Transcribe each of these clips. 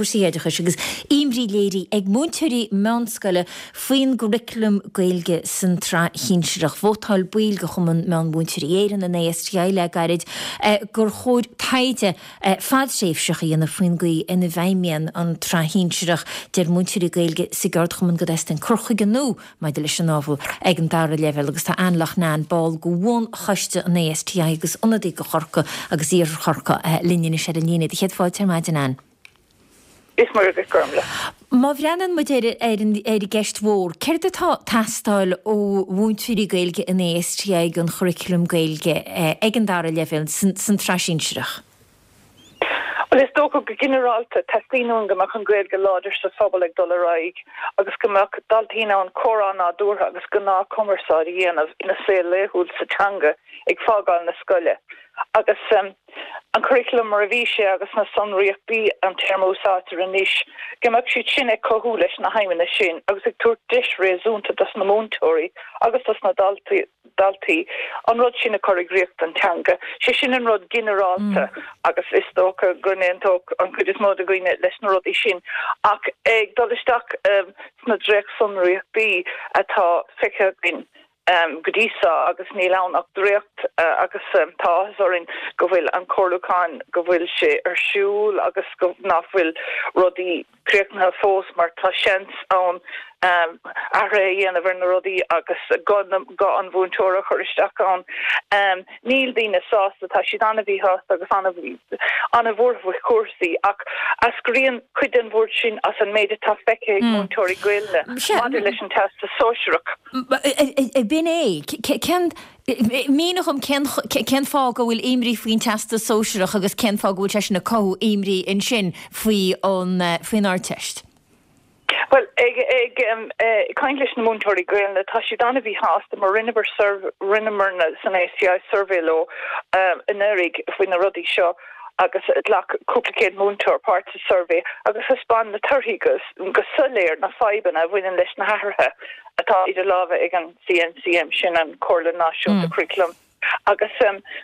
cúrsaí oideachais agus imní léirithe ag múinteoirí meánscoile faoin gcuraclam Gaeilge san tsraith shinsearach. Vótáil baill de Chumann Meán-Mhúinteoirí Éireann, an ASTI, le gairid gur chóir taighde fadtréimhseach a dhéanamh faoin gcaoi ina bhfeidhmíonn an tsraith shinsearach. Deir múinteoirí Gaeilge sa gceardchumann go dteastaíonn cur chuige nua maidir leis an ábhar ag an dara leibhéal agus tá Anne Loughnane, ball de bhunchoiste an ASTI agus ionadaí do Chorcaigh agus Iarthar Chorcaí linn anois ar an líne. Do chéad fáilte ar maidin, Anne. Is Muire dhuit Gormlaith. Má bhreathnaíonn muid ar an ar an gceist mhór, céard atá ag teastáil ó mhúinteoirí Gaeilge an ASTI don churaclam Gaeilge ag an dara leibhéal san tsraith shinsearach? Bhuel, is dócha go ginearálta, teastaíonn uainn go mbeadh an Ghaeilge láidir sa phobal ag dul ar aghaidh agus go mbeadh daltaí in ann comhrá nádúrtha agus gnáthchumarsáid a dhéanamh ina saol laethúil sa teanga ag fágáil na scoile. Agus an curaclam mar a bhí sé agus na sonraíochtaí, an téarma a úsáidtear anois, go mbeadh siad sin ag cothú leis na haidhmeanna sin agus ag tabhairt deis réasúnta dos na múinteoirí agus dos na daltaí, daltaí, an rud sin a chur i gcrích don teanga. Sé sin an rud ginearálta agus is dócha go n-aontódh an chuid is mó de dhaoine leis na rudaí sin. Ach ag dul isteach sna dréachtsonraíochtaí atá feicthe againn go dtí seo, agus níl ann ach dréacht agus tá áthas orainn go bhfuil an comhairliúchán, go bhfuil sé ar siúl agus go nach bhfuil rudaí críochnaithe fós mar tá seans ann athruithe a dhéanamh ar na rudaí agus guth an mhúinteora a chur isteach ann. Níl daoine sásta, tá siad an-mhíshásta agus an-bhuartha faoi chúrsaí ach eascraíonn cuid den bhuairt sin as an méid atá feicthe ag múinteoirí Gaelainne maidir leis an Teastas Sóisearach. B'in é. Cén Mínigh dhom cén cén fáth go bhfuil imní faoin Teastas Sóisearach agus cén fáth go bhfuil sé sin ag cothú imní ansin faoi an faoin Ardteist? Bhuel, ag ag caint leis na múinteoirí Gaelainne, tá siad an-mhíshásta mar rinneamar rinneamarna san ASTI suirbhé leo anuraidh faoi na rudaí seo agus ghlac cúpla céad múinteoir páirt sa suirbhé agus thaispeáin na torthaí go go soiléir na fadhbanna a bhaineann leis na hathruithe atá idir lámha ag an CNCM, sin an Chomhairle Náisiúnta Curaclaim, agus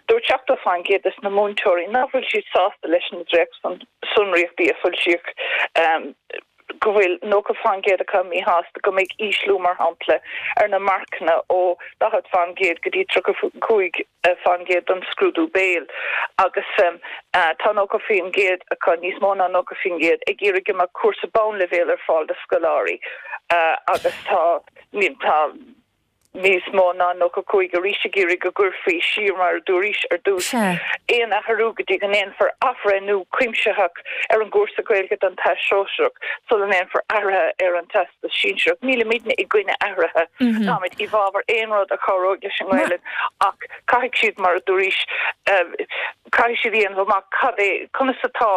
dúirt 70% des na múinteoirí nach bhfuil siad sásta leis na dréachtsonraíochtaí a foilsíodh, go bhfuil 90% acu míshásta go mbeidh ísliú, mar shampla, ar na marcanna ó 40% go dtí 35%. fán gcéad don scrúdú béil agus tá 90% acu, níos mó ná 90%, ag iarraidh go mbeadh cúrsa bonnleibhéil ar fáil do scoláirí agus tá tá níos mó ná 95 arís ag iarraidh go gcuirfí siar, mar a dúraís ar dtús, aon athrú go dtí go ndéanfar athbhreithniú cuimsitheach ar an gcúrsa Gaeilge don Teastas Sóisearach sula ndéanfar athruithe ar an Teastas Sinsearach. Nílimidne i gcoinne athruithe. Táimid i bhfabhar aon rud a chabhróidh leis an nGaelainn ach caithfidh siad, mar a dúraís, caithfidh siad a dhéanamh amach cad é, conas atá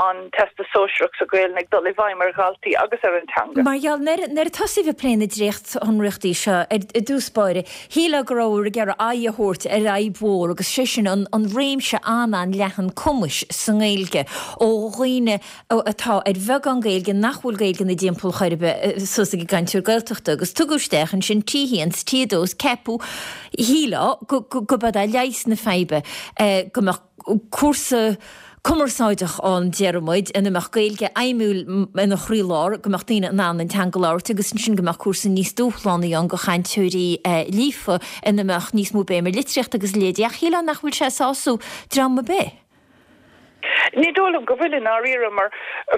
an Teastas Sóisearach sa Ghaelainn ag dul i bhfeidhm ar dhaltaí agus ar an teanga. Mar gheall, nuair a tosaíodh ag plé na dréachtsonraíochtaí seo i dtús báire, shílfeá go rabhthar ag iarraidh aghaidh a thabhairt ar fhadhb mhór agus sé sin an réimse an-an-leathan cumais sa nGaeilge ó dhaoine atá ar bheagán Gaeilge nach bhfuil Gaeilge ina dtimpeall chor ar bith suas ag an gcainteoir Gaeltachta agus tugadh isteach ansin T1 's T2 's ceapadh, shílfeá, go gurb é leigheas na faidhbe go mbeadh cúrsa cumarsáideach ann, déarfaidh muid, ina mbeadh Gaeilge fheidhmiúil ina chroílár, go mbeadh daoine in ann an teanga a labhairt agus ansin go mbeadh cúrsa níos dúshlánaí ann do chainteoirí líofa ina mbeadh níos mó béim ar litríocht agus a leithéidí ach shílfeá nach bhfuil sé ag sásamh dream ar bith. Ní dóigh liom go bhfuil i ndáiríre mar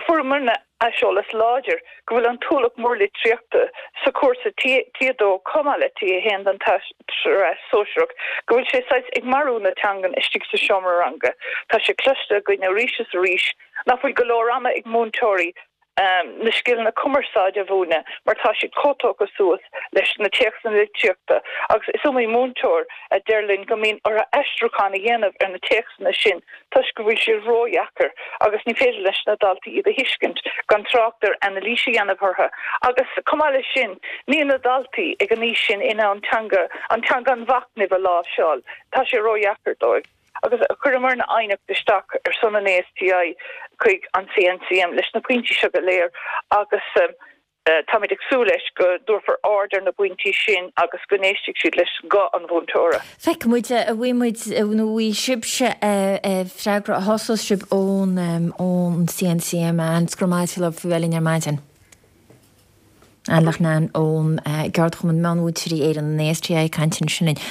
fuaireamarna aiseolas láidir go bhfuil an t-ualach mór litríochta sa chúrsa T2 chomh maith le T1 don tsraith sóisearach, go bhfuil sé saghas ag marú na teangan istigh sa seomra ranga. Tá sé cloiste againn arís is arís nach bhfuil go leor ama ag múinteoirí na scileanna cumarsáide a mhúineadh mar tá siad chomh tógtha suas leis na téacsanna litríochta agus is iomaí múinteoir a deir linn go mbíonn orthu aistriúchán a dhéanamh ar na téacsanna sin toisc go bhfuil siad ródheacair agus ní féidir leis na daltaí iad a thuiscint, gan trácht ar anailís a dhéanamh orthu. Agus chomh maith leis sin, níl na daltaí ag an aois sin in ann teanga, an teanga an mhachnaimh a láimhseáil, tá sé ródheacair dóibh. Agus chuireamarna aighneacht isteach ar son an ASTI chuig an CNCM leis na pointí seo go léir agus. Táimid ag súil leis go dtabharfar aird ar na bpointí sin agus go n-éistfidh siad leis guth an mhúinteora. Feicfidh muid, an bhfaighidh muid nó an bhfaighidh sibhse freagra a shásós sibh ón ón CNCM. Anne, go raibh maith agat faoi bheith linn ar maidin. Anne Loughnane ón gCeardchumann Meánmhúinteoirí Éireann, an ASTI, ag caint ansin linn.